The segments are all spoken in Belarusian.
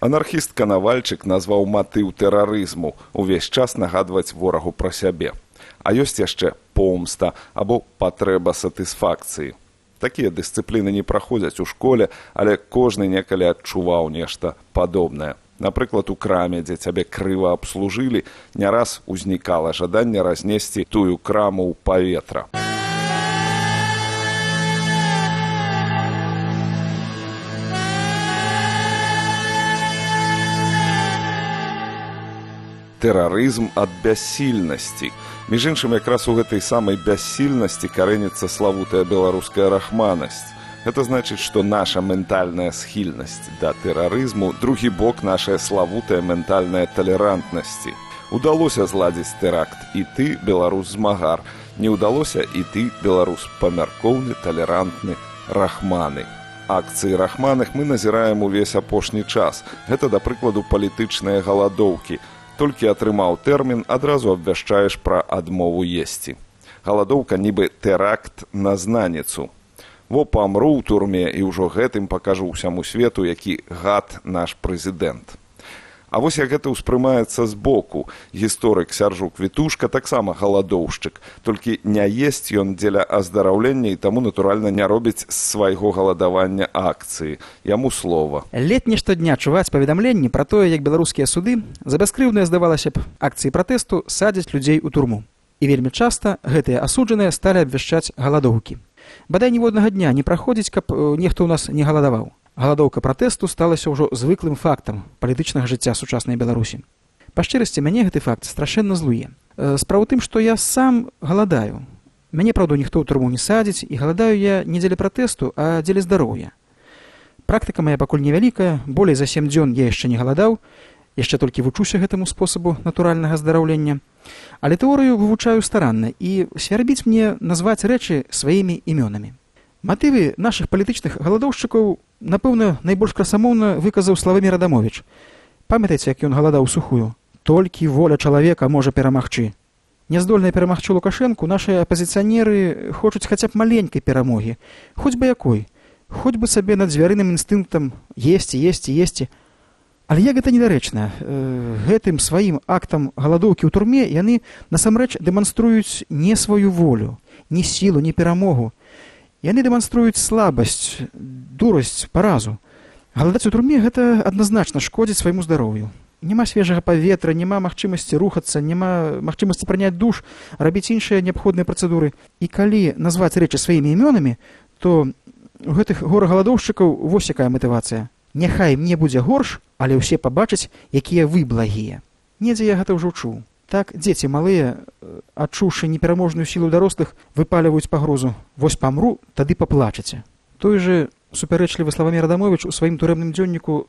Анархіст Канавальчык назваў матыў тэрарызму увесь час нагадваць ворагу пра сябе. А ёсць яшчэ помста або патрэба сатысфакцыі. Такія дысцыпліны не праходзяць у школе, але кожны некалі адчуваў нешта падобнае. Напрыклад, у краме, дзе цябе крыва абслужылі, не раз узнікала жаданне разнесці тую краму ў паветра. Тэрарызм ад бяссільнасці. Між іншым, якраз у гэтай самай бяссільнасці карэніцца славутая беларуская рахманасць. Гэта значыць, што наша ментальная схільнасць да тэрарызму, другі бок нашая славутая ментальная талерантнасці. Удалося зладзіць тэракт і ты, беларус-змагар. Не ўдалося і ты, беларус памяркоўны, талерантны, рахманы. Акцыі рахманых мы назіраем увесь апошні час. Гэта, да прыкладу, палітычныя галадоўкі. Толькі атрымаў тэрмін, адразу абвяшчаеш пра адмову есці. Галадоўка нібы тэракт на знаніцу. Во памру ў турме і ўжо гэтым пакажу ўсяму свету, які гад наш прэзідэнт. А вось як гэта ўспрымаецца збоку. Гісторык Сяржук Вітушка таксама галадоўшчык, толькі не есць ён дзеля аздараўлення і таму, натуральна, не робіць з свайго галадавання акцыі. Яму слова. Летні штодня чуваць паведамленні пра тое, як беларускія суды за бяскрыўныя, здавалася б, акцыі пратэсту садзяць людзей у турму. І вельмі часта гэтыя асуджаныя сталі абвяшчаць галадоўкі. Бадай ніводнага дня не праходзіць, каб нехто ў нас не галадаваў. Галадоўка пратэсту сталася ўжо звыклым фактам палітычнага жыцця сучаснай Беларусі. Па шчырасці, мяне гэты факт страшэнна злуе. Справа ў тым, што я сам галадаю. Мяне, праўда, ніхто ў турму не садзіць, і галадаю я не дзеля пратэсту, а дзеля здароўя. Практыка мая пакуль невялікая, болей за 7 дзён я яшчэ не галадаў, яшчэ толькі вучуся гэтаму спосабу натуральнага здараўлення. Але тэорыю вывучаю старанна, і свярбіць мне назваць рэчы сваімі імёнамі. Матывы нашых палітычных галадоўшчыкаў, напэўна, найбольш красамоўна выказаў Славамір Адамовіч. Памятаеце, як ён галадаў сухую? Толькі воля чалавека можа перамагчы. Няздольная перамагчы Лукашэнку, нашыя апазіцыянеры хочуць хаця б маленькай перамогі, хоць бы якой, хоць бы сабе над звярыным інстынктам есці. Але як гэта недарэчна, гэтым сваім актам галадоўкі ў турме яны насамрэч дэманструюць не сваю волю, ні сілу, ні перамогу. Яны дэманструюць слабасць, дурасць, паразу. Галадаць у турме гэта адназначна шкодзіць свайму здароўю. Няма свежага паветра, няма магчымасці рухацца, няма магчымасці прыняць душ, рабіць іншыя неабходныя працэдуры. І калі назваць рэчы сваімі імёнамі, то у гэтых гора-галадоўшчыкаў вось якая матывацыя. Няхай мне будзе горш, але ўсе пабачаць, якія вы благія. Недзе я гэта ўжо чуў. Так дзеці малыя, адчуўшы непераможную сілу дарослых, выпаліваюць пагрозу. Вось памру, тады паплачаце. Той же супярэчлівы Славамір Адамовіч у сваім турэмным дзённіку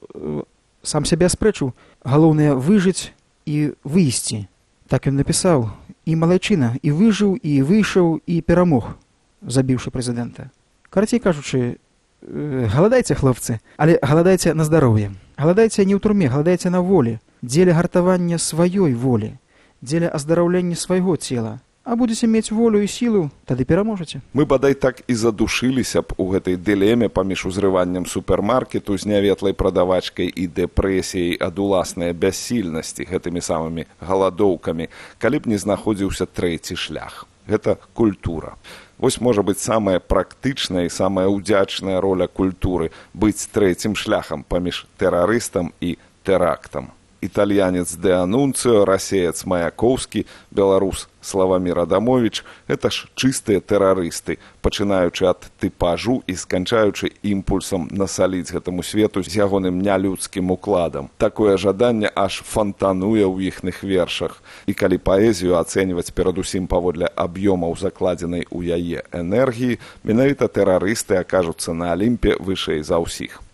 сам сябе аспрэчыў. Галоўнае выжыць і выйсці. Так ён напісаў. І малайчына, і выжыў, і выйшаў, і перамог, забіўшы прэзідэнта. Карацей кажучы, галадайце, хлопцы, але галадайце на здароўе. Галадайце не ў турме, галадайце на волі, дзеля гартавання сваёй волі, дзеля аздараўлення свайго цела. А будзеце мець волю і сілу, тады пераможаце. Мы бадай так і задушыліся б у гэтай дылеме паміж узрываннем супермаркету з няветлай прадавачкай і дэпрэсіяй ад уласнай бяссільнасці гэтымі самымі галадоўкамі, калі б не знаходзіўся трэці шлях. Гэта культура. Вось можа быць самая практычная і самая ўдзячная роля культуры быць трэцім шляхам паміж тэрарыстам і тэрактам. Італьянец Де Анунцыо, расеец Маяковскі, беларус Славамір Адамовіч – гэта ж чыстыя тэрарысты, пачынаючы ад тыпажу і сканчаючы імпульсам насаліць гэтаму свету з ягоным нялюдскім укладам. Такое жаданне аж фантануе ў іхных вершах. І калі паэзію ацэньваць перадусім паводле аб'ёмаў закладзенай у яе энергіі, менавіта тэрарысты акажуцца на Алімпе вышэй за ўсіх.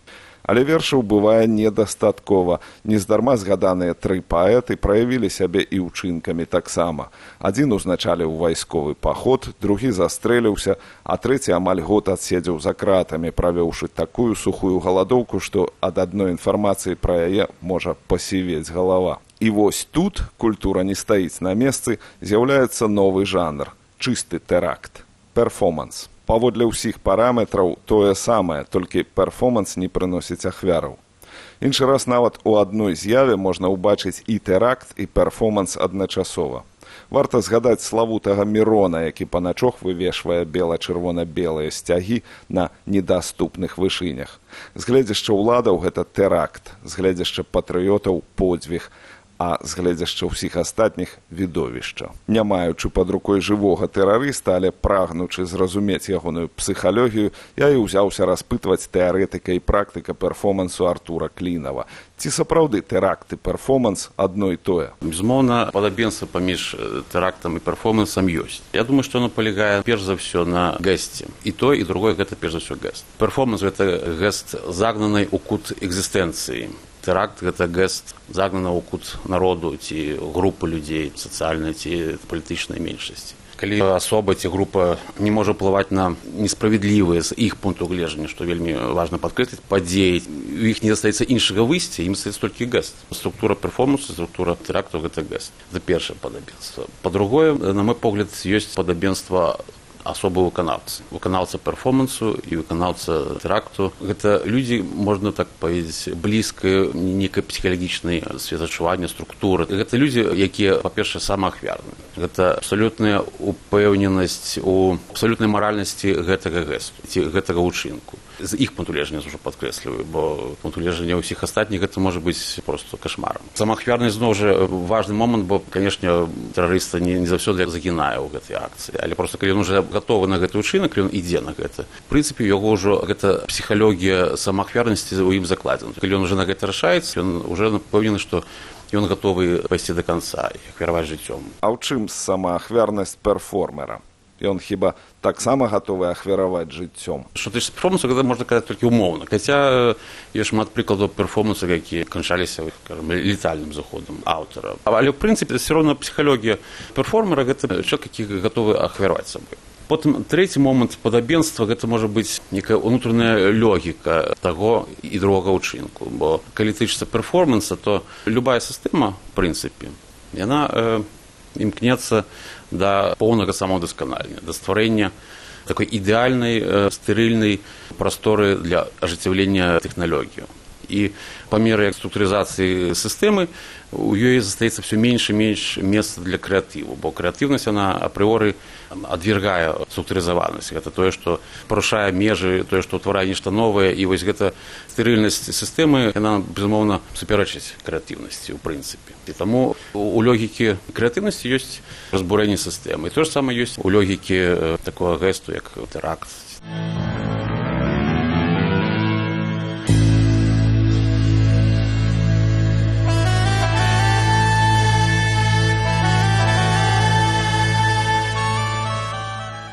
Але вершаў бывае недастаткова. Нездарма згаданыя 3 паэты праявілі сябе і ўчынкамі таксама. Адзін узначаліў вайсковы паход, другі застрэліўся, а трэці амаль год адседзеў за кратамі, правёўшы такую сухую галадоўку, што ад адной інфармацыі пра яе можа пасівець галава. І вось тут, культура не стаіць на месцы, з'яўляецца новы жанр – чысты тэракт, перформанс. Паводле ўсіх параметраў тое самае, толькі перформанс не прыносіць ахвяраў. Іншы раз нават у адной з'яве можна ўбачыць і тэракт, і перформанс адначасова. Варта згадаць славутага Мірона, які паначох вывешвае бела-чырвона-белыя сцягі на недаступных вышынях. З гледзяшча ўладаў гэта тэракт, з гледзяшча патрыётаў подзвіг, а з гледзяшча ўсіх астатніх відовішча. Не маючы пад рукой жывога тэрарыста, але прагнучы зразумець ягоную псіхалогію, я і ўзяўся распытваць тэарэтыка і практыка перформансу Артура Клінава. Ці сапраўды тэракт і перформанс адно і тое? Безумоўна, падабенства паміж тэрактам і перформансам ёсць. Я думаю, што оно палягае перш за ўсё на гэсце. І тое, і другое гэта перш за ўсё гэст. Перформанс гэта гэст загнанай у кут экзістэнцыі. Тэракт гэта гэст загнанага ў кут народу ці групы людзей, сацыяльнай ці палітычнай меншасці. Калі асоба ці група не можа ўплываць на несправядлівыя з іх пункту гледжання, што вельмі важна падкрэсліць, падзеі, у іх не застаецца іншага выйсця, ім застаецца толькі гэст. Структура перформансу, структура тэракту гэта гэст. Гэта першае падабенства. Па-другое, на мой погляд, ёсць падабенства асобы выканаўцы. Выканаўца перформансу і выканаўца тэракту. Гэта людзі, можна так паведзіць, блізкай нейкай псіхалагічнай светачування структуры. Гэта людзі, якія, па-першае, самаахвярныя. Гэта абсалютная упэўненасць у абсалютнай маральнасці гэтага гэсту ці гэтага ўчынку. З іх пункту гледжання ўжо падкрэсліваю, бо пункту гледжання ўсіх астатніх гэта можа быць проста кашмарам. Самаахвярнасць зноў жа важны момант, бо, канешне, тэрарыста не заўсёды загінае ў гэтай акцыі, але проста калі ён уже гатовы на гэты ўчынак, ён ідзе на гэта. В прынцыпе, яго ўжо гэта псіхалогія самаахвярнасці ў ім закладзена. Калі ён уже на гэта рашаецца, ён уже напэўнены, што ён гатовы пайсці да канца і ахвяраваць жыццём. А ў чым самаахвярнасць перформера? Ён хіба таксама гатовы ахвяраваць жыццём? Што тычыцца перформансу, гэта можна казаць толькі ўмоўна. Хаця ёсць шмат прыкладаў перформансу, якія канчаліся, скажам, летальным заходам аўтара. Але, ў прынцыпе, все роўна псіхалогія перформера – гэта чалавек, які гатовы ахвяраваць сабой. Потым трэці момант падабенства – гэта можа быць некая ўнутраная логіка таго і другога ўчынку. Бо калі тычыцца перформанса, то любая сістэма, в прынцыпе, яна імкнецца да поўнага самаўдасканалення, да стварэння такой ідэальнай, стэрыльнай прасторы для ажыццяўлення тэхналогіі. І па меры структурызацыі сістэмы у ёй застаецца все менш і менш месца для крэатыву, бо крэатыўнасць, яна апрыоры адвергае структурызаванасць. Гэта тое, што парушае межы, тое, што ўтварае нешта новае, і вось гэта стэрыльнасць сістэмы, яна, безумоўна, суперачыць крэатыўнасці, ў прынцыпе. І таму у логікі крэатыўнасці ёсць разбурэнне сістэмы. І тое ж самае ёсць у логікі такога гэсту, як тэракт.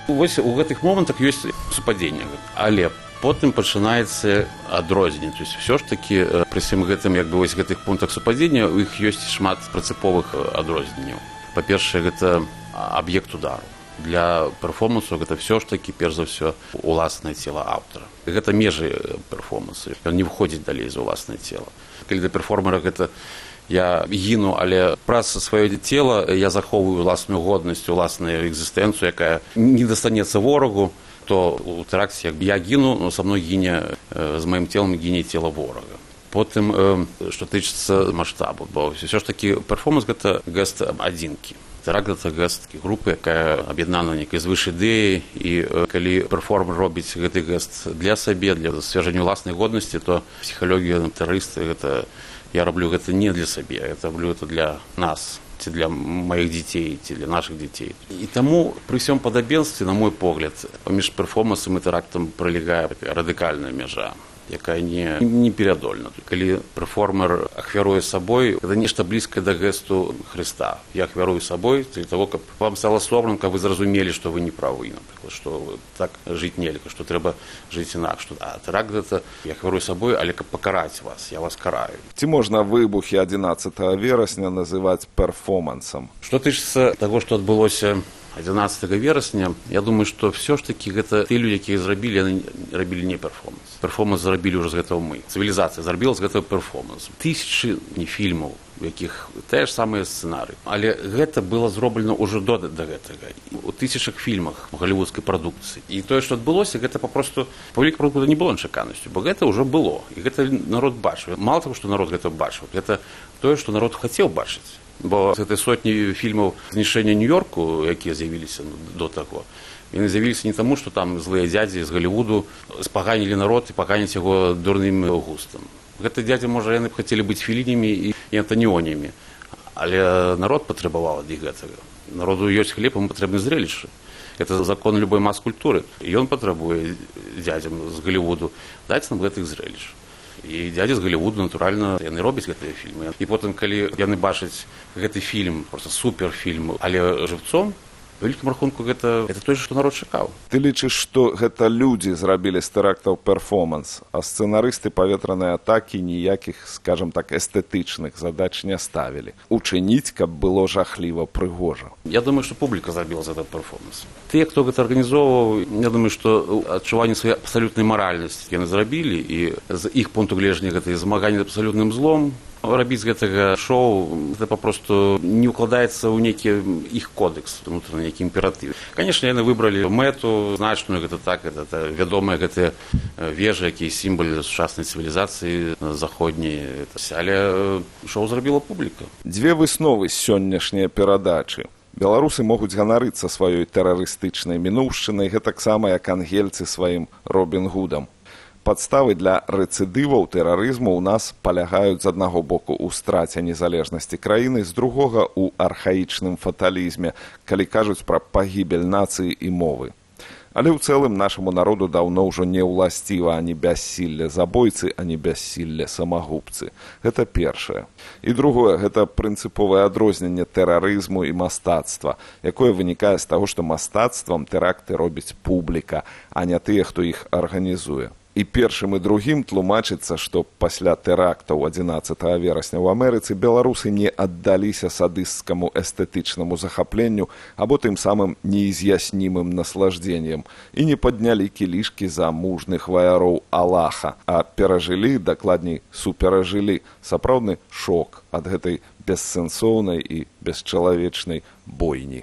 Вось у гэтых момантах ёсць супадзенне, але потым пачынаецца адрозненне. То есть ўсё ж такі пры всім гэтым, як бы вось гэтых пунктах супадзення, у іх ёсць шмат прынцыповых адрозненняў. Па-першае, гэта аб'ект удару. Для перформансу гэта ўсё ж такі перш за ўсё уласнае цела аўтара. Гэта межы перформансу. Ён не выходзіць далей за ўласнае цела. Калі для перформера гэта я гіну, але праз сваё цела я захоўваю ўласную годнасць, уласную экзістэнцыю, якая не дастанецца ворагу, то у тэракце, як я гіну, но са мной гіне, з маім целам гіне цела ворага. Потым, што тычыцца маштабу, бо ўсё ж такі перформанс гэта гэст адзінкі. Тэракт гэта гэст групы, якая аб'яднана нейкай звыш ідэі, і калі перформер робіць гэты гэст для сабе, для засвяжэння ўласнай годнасці, то псіхалогія тэрарыста гэта я раблю гэта не для сабе, я раблю гэта для нас, ці для маіх дзяцей, ці для нашых дзяцей. І таму пры ўсём падабенстве, на мой погляд, паміж перформансам і тэрактам пралягае радыкальная мяжа, якая не перадольна. Калі перформер ахвяруе сабой, гэта нешта блізкае да гэсту Хрыста. Я ахвярую сабой для того, каб вам стала сорамна, каб вы зразумелі, што вы не правы, напрыклад, што так жыць нельга, што трэба жыць інакш. А тэракт гэта я ахвярую сабой, але каб пакараць вас, я вас караю. Ці можна выбухі 11 верасня называць перформансам? Што тычыцца таго, што адбылося 11 верасня, я думаю, што все ж такі гэта ты людзі, якія зрабілі, яны рабілі не перформанс. Перформанс зрабілі ўжо з гэтага мы. Цывілізацыя зрабіла з гэтага перформанс. Тысячы не фільмаў, у якіх тыя ж самыя сцэнары. Але гэта было зроблена ўжо да гэтага. У тысячах фільмах галівудскай прадукцыі. І тое, што адбылося, гэта папросту публіка прадукта не было нечаканасцю, бо гэта ўжо было. І гэта народ бачыў. Мала таго, што народ гэта бачыў, гэта тое, што народ хацеў бачыць. Бо гэтай сотні фільмаў знішчэння Нью-Йорку, якія з'явіліся до таго, яны з'явіліся не таму, што там злыя дзядзі з Галівуду спаганілі народ і паганяць яго дурным густам. Гэты дзядзі, можа, яны б хацелі быць Фелінямі і Антаніонямі, але народ патрабаваў ад іх гэтага. Народу ёсць хлеб, ему патрэбны зрелішчы. Это закон любой мас-культуры. І ён патрабуе дзядзям з Галівуду даць нам гэтых зрелішч. І дзядзі з Галівуду, натуральна, яны робяць гэтыя фільмы. І потым, калі яны бачаць гэты фільм, проста суперфільм, але жывцом, у вялікім рахунку гэта тое, што народ чакаў. Ты лічыш, што гэта людзі зрабілі з тэрактаў перформанс, а сцэнарысты паветранай атакі ніякіх, скажам так, эстэтычных задач не ставілі. Учыніць, каб было жахліва прыгожа. Я думаю, што публіка зрабіла за этот перформанс. Тыя, хто гэта арганізоўваў, я думаю, што адчуванне сваёй абсалютнай маральнасці яны зрабілі, і з іх пункту гледжання гэта змаганне з абсалютным злом. Рабіць з гэтага шоу, гэта папросту не ўкладаецца ў нейкі іх кодекс, унутраны нейкі імператыў. Канешне, яны выбралі мэту значную, гэта так, гэта вядомыя гэтыя вежы, якія сімвал сучаснай цывілізацыі заходняй. Але шоу зрабіла публіка. Дзве высновы з сённяшняй перадачы. Беларусы могуць ганарыцца сваёй тэрарыстычнай мінуўшчынай, гэтаксама як ангельцы сваім Робін Гудам. Падставы для рэцыдываў тэрарызму ў нас палягаюць з аднаго боку ў страце незалежнасці краіны, з другога ў архаічным фаталізме, калі кажуць пра пагібель нацыі і мовы. Але ў цэлым нашаму народу даўно ўжо не ўласціва ані бяссілле забойцы, ані бяссілле самагубцы. Гэта першае. І другое, гэта прынцыповае адрозненне тэрарызму і мастацтва, якое вынікае з таго, што мастацтвам тэракты робіць публіка, а не тыя, хто іх арганізуе. І першым і другім тлумачыцца, што пасля тэрактаў 11 верасня ў Амерыцы беларусы не аддаліся садысцкаму эстэтычнаму захапленню або тым самым неіз'яснімым наслаждзеннем і не паднялі кілішкі за мужных ваяроў Аллаха, а перажылі, дакладней, суперажылі сапраўдны шок ад гэтай бессэнсоўнай і бесчалавечнай бойні.